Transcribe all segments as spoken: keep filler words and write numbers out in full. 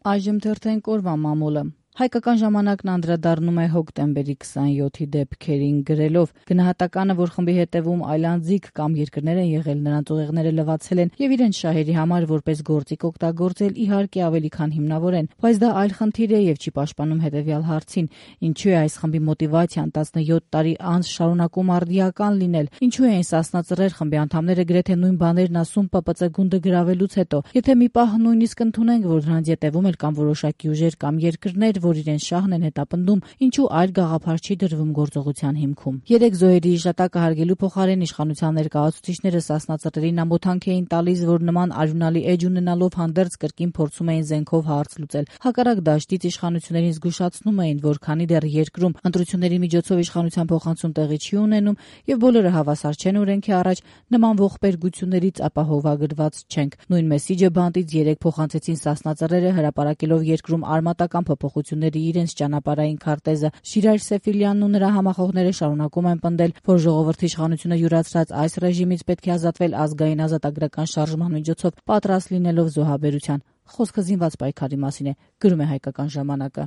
Այժմ թերթենք օրվա մամուլը։ Հայկական ժամանակն անդրադառնում է հոկտեմբերի քսանյոթի դեպքերին գրելով. գնահատականը, որ խմբի հետևում այլանդզիկ կամ երկրներ են եղել, նրանց ուղեղները լվացել են եւ իրենց շահերի համար որպես գործիք օգտագործել, իհարկե ավելի քան հիմնավոր են, բայց դա այլ խնդիր է եւ չի պաշտպանում հետեւյալ հարցին. ինչու է այս խմբի մոտիվացիան տասնյոթ տարի անց շարունակում արդիական լինել, ինչու են սասնածռեր խմբի անդամները գրեթե նույն բաներն ասում Պ Պ Ծ գունդը գրավելուց հետո, եթե մի պահ նույնիսկ ընդունենք, որ նրանց ետևում էլ կան որոշակի ուժեր կամ երկրներ, որ իրենց շահն են հետապնդում, ինչու այլ գաղափար չի դրվում գործողության հիմքում։ Երեք զոհերի հիշատակը հարգելու փոխարեն իշխանության ներկայացուցիչները սասնածռերին ամոթանք էին տալիս, որ նման արյունալի էջ ունենալով հանդերձ կրկին փորձում էին զենքով հարց լուծել։ Հակառակ դաշտից իշխանություններին զգուշացնում էին, որ քանի դեռ երկրում ընտրությունների միջոցով իշխանության փոխանցում տեղի չի ունենում եւ բոլորը հավասար չեն օրենքի առաջ, նման ողբերգություններից ապահովագրված չենք։ Նույն մեսիջը բանտից երեք փոխանցեցին սասնածռերը, հրապարակելով երկրում արմատական փոփոխությունների իրենց ճանապարհային քարտեզը։ Շիրայր Սեֆիլյանն ու նրա համախոհները շարունակում են պնդել, որ ժողովրդի իշխանությունը յուրացրած այս ռեժիմից պետք է ազատվել ազգային ազատագրական շարժման միջոցով, պատրաստ լինելով զոհաբերության։ Խոսքը զինված պայքարի մասին է, գրում է Հայկական ժամանակը։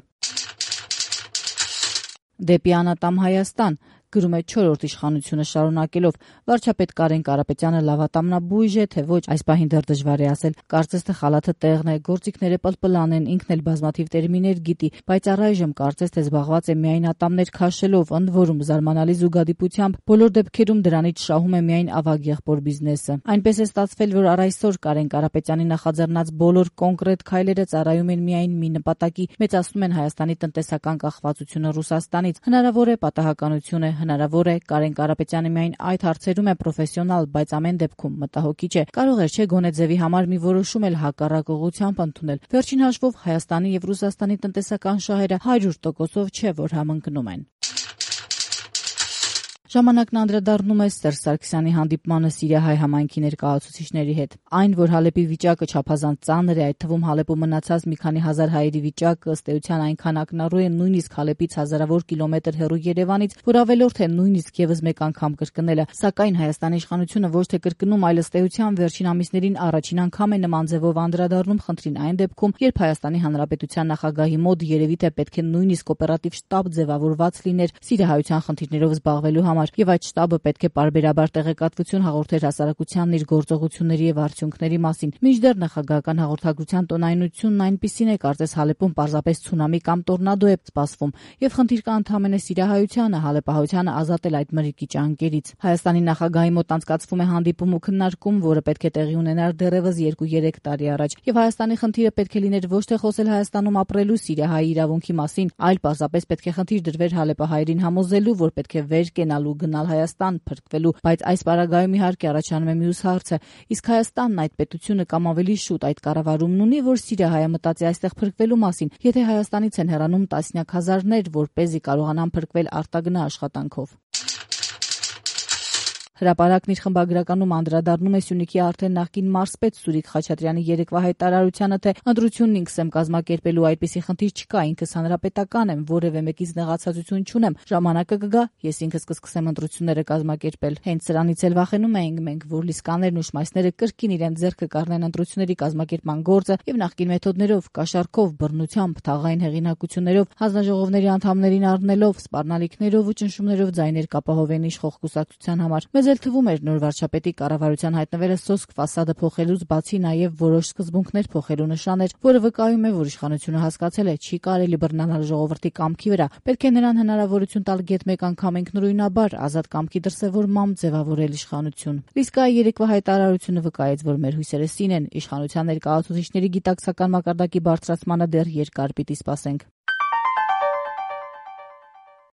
Դեպի անատամ Հայաստան, գրում է չորրորդ իշխանությունը շարունակելով. վարչապետ Կարեն Կարապետյանը լավատամնաբույժ է, թե ոչ, այս պահին դեռ դժվար է ասել։ Կարծես թե խալաթը տեղն է, գործիքները պլպլան են, ինքն էլ բազմաթիվ տերմիներ գիտի, բայց առայժմ կարծես թե զբաղված է միայն ատամներ քաշելով, ընդ որում զարմանալի զուգադիպությամբ բոլոր դեպքերում դրանից շահում է միայն ավագ եղբոր բիզնեսը։ Այնպես է ստացվել, որ առ այսօր Կարեն Կարապետյանի նախաձեռնած բոլոր կոնկրետ քայլերը ծառայում են միայն մի նպատակի՝ մեծացնում են Հայաստանի տնտեսական կախվածությունը Ռուսաստանից։ Հնարավոր է պատահականություն է, հնարավոր է Կարեն Կարապետյանը միայն այդ հարցերում է պրոֆեսիոնալ, բայց ամեն դեպքում մտահոգիչ է։ Կարող է չէ գոնե ձևի համար մի որոշում էլ հակառակ ուղղությամբ ընդունել։ Վերջին հաշվով Հայաստանի եւ Ռուսաստանի տնտեսական շահերը հարյուր տոկոսով չէ, որ համընկնում են։ Ժամանակն անդրադառնում է Սերժ Սարգսյանի հանդիպմանը սիրիահայ համայնքի ներկայացուցիչների հետ։ Այն, որ Հալեպի վիճակը չափազանց ծանր է, այդ թվում Հալեպում մնացած մի քանի հազար հայերի վիճակը ըստ էության այնքան ակնառու է նույնիսկ Հալեպից հազարավոր կիլոմետր հեռու Երևանից, որ ավելորդ է նույնիսկ եւս մեկ անգամ կրկնելը։ Սակայն Հայաստանի իշխանությունը ոչ թե կրկնում, այլ ըստ էության վերջին ամիսներին առաջին անգամ է նման ձևով անդրադառնում խնդրին այն դեպքում, երբ Հայաստանի Հանրապետության նախագահի մոտ երևի թե պետք է նույնիսկ օպերատիվ շտաբ ձևավորված լիներ սիրիահայության խնդիրներով զբաղվելու համար, եւ այդ շտաբը պետք է պարբերաբար տեղեկատվություն հաղորդեր հասարակությանն իր գործողությունների եւ արդյունքների մասին։ Մինչդեռ նախագահական հաղորդագրության տոնայնությունն այնպիսին է, կարծես Հալեպում պարզապես ցունամի կամ տորնադո է սպասվում, եւ խնդիր կա ընդհանրապես սիրիահայությանը, հալեպահայությանը ազատել այդ մրրիկի ճանկերից։ Հայաստանի նախագահի մոտ անցկացվում է հանդիպում ու քննարկում, որը պետք է տեղի ունենար դեռևս երկու-երեք տարի առաջ, եւ Հայաստանի խնդիրը պետք է լիներ ոչ թե խոսել Հայաստանում ապրելու սիրիահայի իրավունքի մասին, այլ պարզապես պետք է խնդիր դրվեր հալեպահայերին համոզելու, որ պետք է վեր կենալու գնալ Հայաստան փրկվելու, բայց այս պարագայում իհարկե առաջանում է մյուս հարցը. իսկ Հայաստանն այդ պետությունը կամ ավելի շուտ այդ կառավարումն ունի, որ սիրիահայը մտածի այստեղ փրկվելու մասին, եթե Հայաստանից են հեռանում տասնյակ հազարներ, որպեսզի կարողանան փրկվել արտագնա աշխատանքով։ Հրապարակն իր խմբագրականում անդրադառնում է Սյունիքի արդեն նախկին մարզպետ Սուրիկ Խաչատրյանի երեկվա հայտարարությանը, թե ընտրությունն ինքս եմ կազմակերպելու, այդպիսի խնդիր չկա, ինքս հանրապետական եմ, որևէ մեկից նեղացածություն չունեմ, ժամանակը կգա, ես ինքս կսկսեմ ընտրությունները կազմակերպել։ Հենց սրանից էլ վախենում էինք մենք, որ լիսկաներն ու շմայսները կրկին իրենց ձեռքը կառնեն ընտրությունների կազմակերպման գործը եւ նախկին մեթոդներով, կաշառքով, բռնությամբ, թաղային հեղինակություններով, հանձնաժողովների անդամներին առնելով, սպառնալիքներով ու ճնշումներով ձայներ կապահովեն իշխող կուսակցության համար։ Մեզ էլ թվում էր նոր վարչապետի կառավարության հայտնվելը սոսկ ֆասադը փոխելուց բացի նաև որոշ սկզբունքներ փոխելու նշան էր, որը վկայում է, որ իշխանությունը հասկացել է, չի կարելի բռնանալ ժողովրդի կամքի վրա, պետք է նրան հնարավորություն տալ գեթ մեկ անգամ ինքնուրույնաբար ազատ կամքի դրսևորմամբ ձևավորել իշխանություն։ Լիսկայի երեկվա հայտարարությունը վկայեց, որ մեր հույսերը սին են, իշխանության ներկայացուցիչների գիտակցական մակարդակի բարձրացմանը դեռ երկար պիտի սպասենք։